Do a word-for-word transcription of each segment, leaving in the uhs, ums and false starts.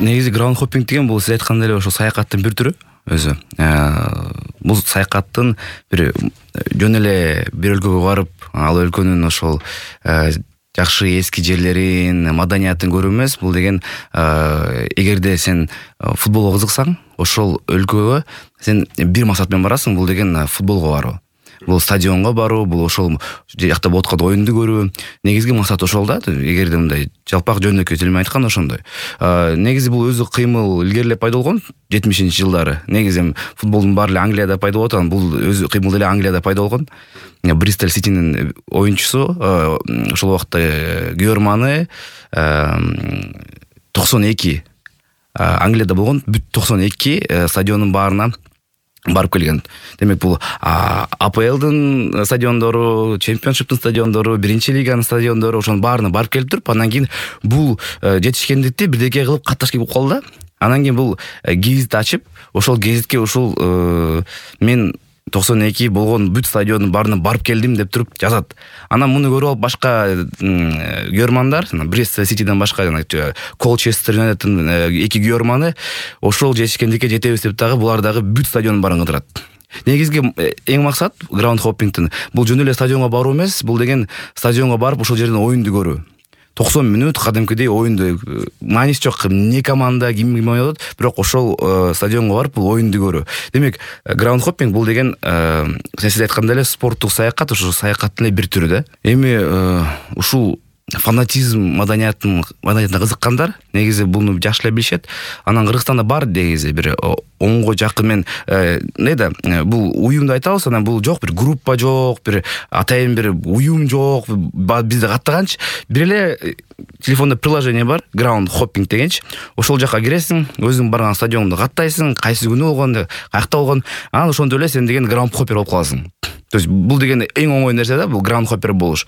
негизи граунд хоппинг деген бул сиз айткандай эле ошо саякаттын бир түрү өзү. Бул саякаттын бир жөн эле бир өлкөгө барып, ал өлкөнүн ошол жакшы эски жерлерин, маданиятын көрүү эмес. Бул деген эгерде сен футболго кызыксаң, ошол өлкөгө сен бир максат менен барасың, бул деген футболго баруу. Бул стадионго баруу, бул ошол жакта болуп аткан оюнду көрүү. Негизги максат ошол да. Эгерде мындай жалпак жөнөкөй тил менен айтканда ошондой. Негизи бул өзү кыймыл илгерилеп пайда болгон жетимишинчи жылдары. Негизи футболдун баары эле Англияда пайда болот, анан бул өзү кыймыл эле Англияда пайда болгон. Бристол Ситинин оюнчусу ошол убакта Георманы токсон эки Англияда болгон бүт токсон эки стадиондун баарына барып келген. Демек бул А П Лдын стадиондору, Чемпионшиптин стадиондору, биринчи лиганын стадиондору ошонун баарына барып келип туруп, анан кийин бул жетишкендикти бирдеке кылып катташ келип калды да. Анан кийин бул гезит ачып, ошол гезитке ушул мен токсон эки болгон бүт стадиондун баарына барып келдим деп туруп жазат. Анан муну көрүп алып башка геормандар, Бристол Ситиден башка жана Колчестер Юнайтеддин эки георманы ошол жетишкендикке жетебиз деп дагы булар дагы бүт стадиондун баарын кыдырат. Негизги эң максат граунд хоппингтин бул жөн эле стадионго баруу эмес, бул деген стадионго барып ошол жерден оюнду көрүү. токсон мүнөт кадимкидей оюнду, мааниси жок эмне команда ким ким ойнойт, бирок ошол стадионго барып бул оюнду көрүү. Демек, граунд хоппинг бул деген сиз айткандай эле спорттук саякат, ошо саякаттын эле бир түрү да. Эми ушул фанатизм маданиятын маданиятына кызыккандар негизи буну жакшы эле билишет. Анан Кыргызстанда бар негизи бир онго жакын мен эмне да бул уюмду айтабыз, анан бул жок, бир группа жок, бир атайын бир уюм жок, бизде каттаганчы бир эле телефондо приложение бар, граунд хоппинг дегенчи. Ошол жака киресиң, өзүң барган стадионду каттайсың, кайсы күнү болгон, каякта болгон, анан ошондо эле сен деген граунд хоппер болуп каласың. То есть бул деген эң оңой нерсе да, бул граунд хоппер болуш.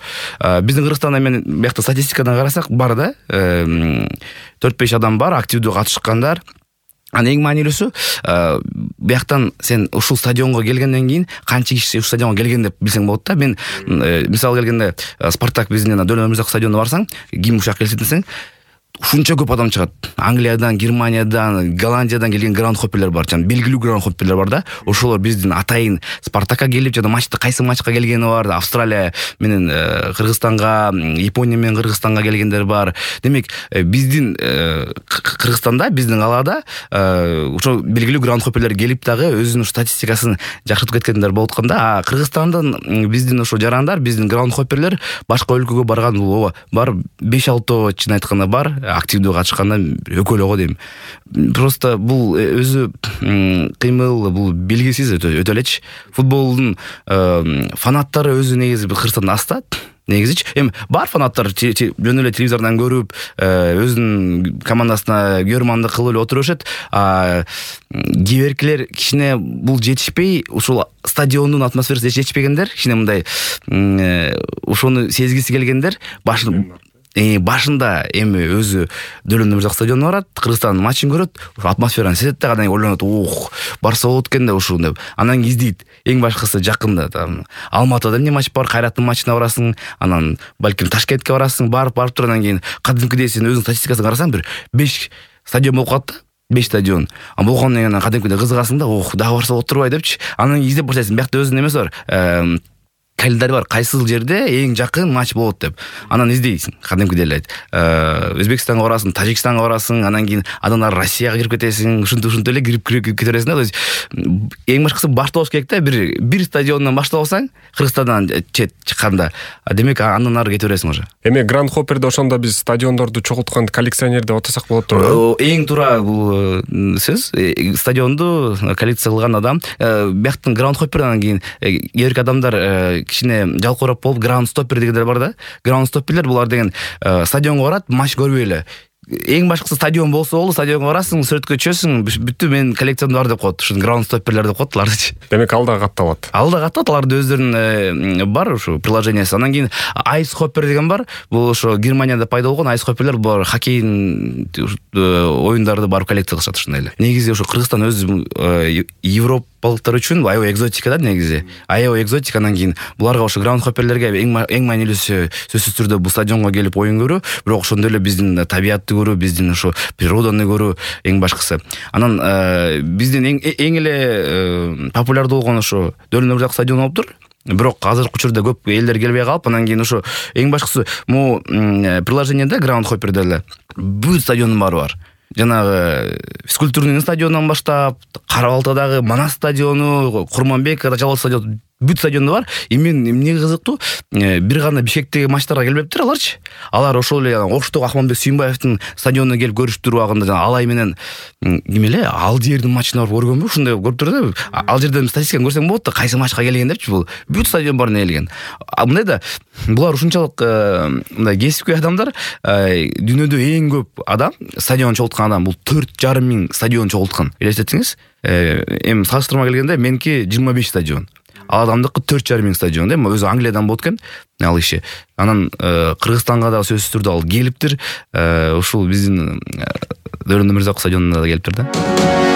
Биздин Кыргызстанда мен биякта статистикадан карасак бар да, төрт беш адам бар активдүү катышкандар. Анан эң маанилүүсү, бияктан сен ушул стадионго келгенден кийин канча киши ушул стадионго келген деп билсең болот да. Мен мисалы келгенде Спартак биздин Дөлөт Өмүрзаков стадионуна барсаң, ким ушак келсе десең, ушунча көп адам чыгат. Англиядан, Германиядан, Голландиядан келген граунд хопперлер бар, жана белгилүү граунд хопперлер бар да. Ошолор биздин атайын Спартакка келип, жана матчта кайсы матчка келгени бар, Австралия менен Кыргызстанга, Япония менен Кыргызстанга келгендер бар. Демек, биздин Кыргызстанда, биздин калаада ошо белгилүү граунд хопперлер келип дагы өзүнүн статистикасын жакшыртып кеткендер болуп атканда, а Кыргызстандын биздин ошо жарандар, биздин граунд хопперлер башка өлкөгө барган бул бар беш алты чын айтканда бар. Активдүү катышканда өкөлөгө дейм. Просто бул өзү кыймыл, бул белгисиз өтө элечи. Футболдун фанаттары өзү негизи Кыргызстанда аз да. Негизичи эми бар фанаттар жөн эле телевизордон көрүп, өзүнүн командасына георманды кылып эле отура беришет. А кийбиркилер кичине бул жетишпей, ушул стадиондун атмосферасы жетишпегендер, кичине мындай ошону сезгиси келгендер башын башында эми өзү Дөлөт Өмүрзаков стадионуна барат, Кыргызстандын матчын көрөт, ошо атмосфераны сезет да, анан ойлонот, ох, барса болот экен да ушул деп. Анан издейт. Эң башкысы жакында там Алматыда эмне матч бар, Кайраттын матчына барасың, анан балким Ташкентке барасың, барып барып туруп анан кийин кадимкидей сен өзүң статистикасын карасаң, бир беш стадион болуп калат да. беш стадион. А болгондон кийин кадимкидей кызыгасың да, ох, дагы барса болот турбай депчи. Анан издеп баштайсың. Биякта өзүнүн эмеси бар. Календарь бар, кайсыл жерде эң жакын матч болот деп. Анан издейсиң, кадимкидей эле. Өзбекстанга барасың, Тажикстанга барасың, анан кийин андан Россияга кирип кетесиң, ушинтип ушинтип эле кирип кирип кете бересиң да. То есть эң башкысы башталыш керек да, бир бир стадиондон баштап алсаң, Кыргызстандан чет чыкканда, демек андан ары кете бересиң уже. Эми граунд хопперде ошондо биз стадиондорду чогулткан коллекционер деп атасак болот турбайбы? Эң туура бул сөз, стадионду коллекция кылган адам. Бияктын граунд хоппер, анан кийин кээ адамдар кичине жалкоорап болуп граунд стоппер дегендер бар да. Граунд стопперлер булар деген стадионго барат, матч көрбөй эле. Эң башкысы стадион болсо болду, стадионго барасың, сүрөткө түшөсүң, бүттү мен коллекциямда бар деп коет. Ушун граунд стопперлер деп коет аларды. Демек ал да катталат. Ал да катталат, аларды өздөрүнүн бар ушу приложениясы. Анан кийин айс хоппер деген бар. Бул ошо Германияда пайда болгон айс хопперлер, булар хоккейдин оюндарды барып коллекция кылышат ушундай эле. Негизи ошо Кыргызстан өзү Европа европалыктар үчүн аябай экзотика да негизи. Аябай экзотика. Анан кийин буларга ошо граундхопперлерге эң эң маанилүүсү сөзсүз түрдө бул стадионго келип оюн көрүү, бирок ошондой эле биздин табиятты көрүү, биздин ошо природаны көрүү эң башкысы. Анан биздин эң эң эле популярдуу болгон ошо Дөлөн Өмүрзаков стадиону болуптур. Бирок азыркы учурда көп элдер келбей калып, анан кийин ошо эң башкысы могу приложениеде граундхопперде эле бүт стадиондун баары бар. Жанагы физкультурный стадионунан баштап, Кара Балтадагы Манас стадиону, Курманбековдо Жалал стадиону, бүт стадионда бар. И мен эмне кызыктуу, бир гана Бишкектеги матчтарга келбептир аларчы. Алар ошол эле Оштогу Акмамбек Сүйүнбаевдин стадионуна келип көрүштүр убагында жана Алай менен ким эле Алдиердин матчына барып көргөнбү? Ушундай көрүптүр да. Ал жерден статистиканы көрсөң болот да, кайсы матчка келген депчи, бул бүт стадион баарына келген. Мындай да, булар ушунчалык мындай кесипкөй адамдар, дүйнөдө эң көп адам, стадион чогулткан адам бул төрт жарым миң стадион чогулткан. Элестетиңиз, эми салыштырма келгенде меники жыйырма беш стадион. Ал адамдыкы төрт жарым миң стадион, эми өзү Англиядан болот экен ал иши. Анан Кыргызстанга да сөзсүз түрдө ал келиптир. Ушул биздин Дөлөн Өмүрзаков стадионуна да келиптир да.